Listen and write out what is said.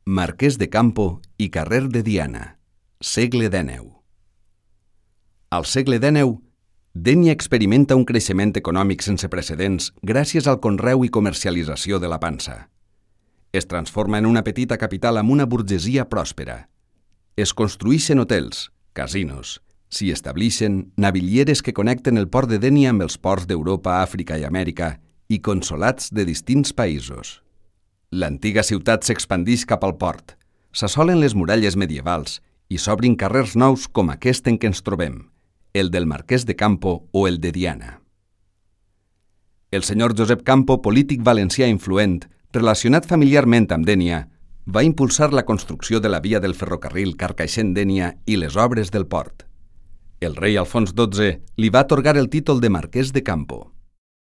Marquès de Campo i carrer de Diana, segle XIX. Al segle XIX, Dénia experimenta un creixement econòmic sense precedents gràcies al conreu i comercialització de la pansa. Es transforma en una petita capital amb una burgesia pròspera. Es construïxen hotels, casinos, s'hi establixen navillieres que connecten el port de Dénia amb els ports d'Europa, Àfrica i Amèrica i consolats de distints països. L'antiga ciutat s'expandix cap al port, s'assolen les muralles medievals i s'obrin carrers nous com aquest en què ens trobem, el del Marquès de Campo o el de Diana. El senyor Josep Campo, polític valencià influent, relacionat familiarment amb Dénia, va impulsar la construcció de la via del ferrocarril Carcaixent-Dénia i les obres del port. El rei Alfons XII li va atorgar el títol de Marquès de Campo.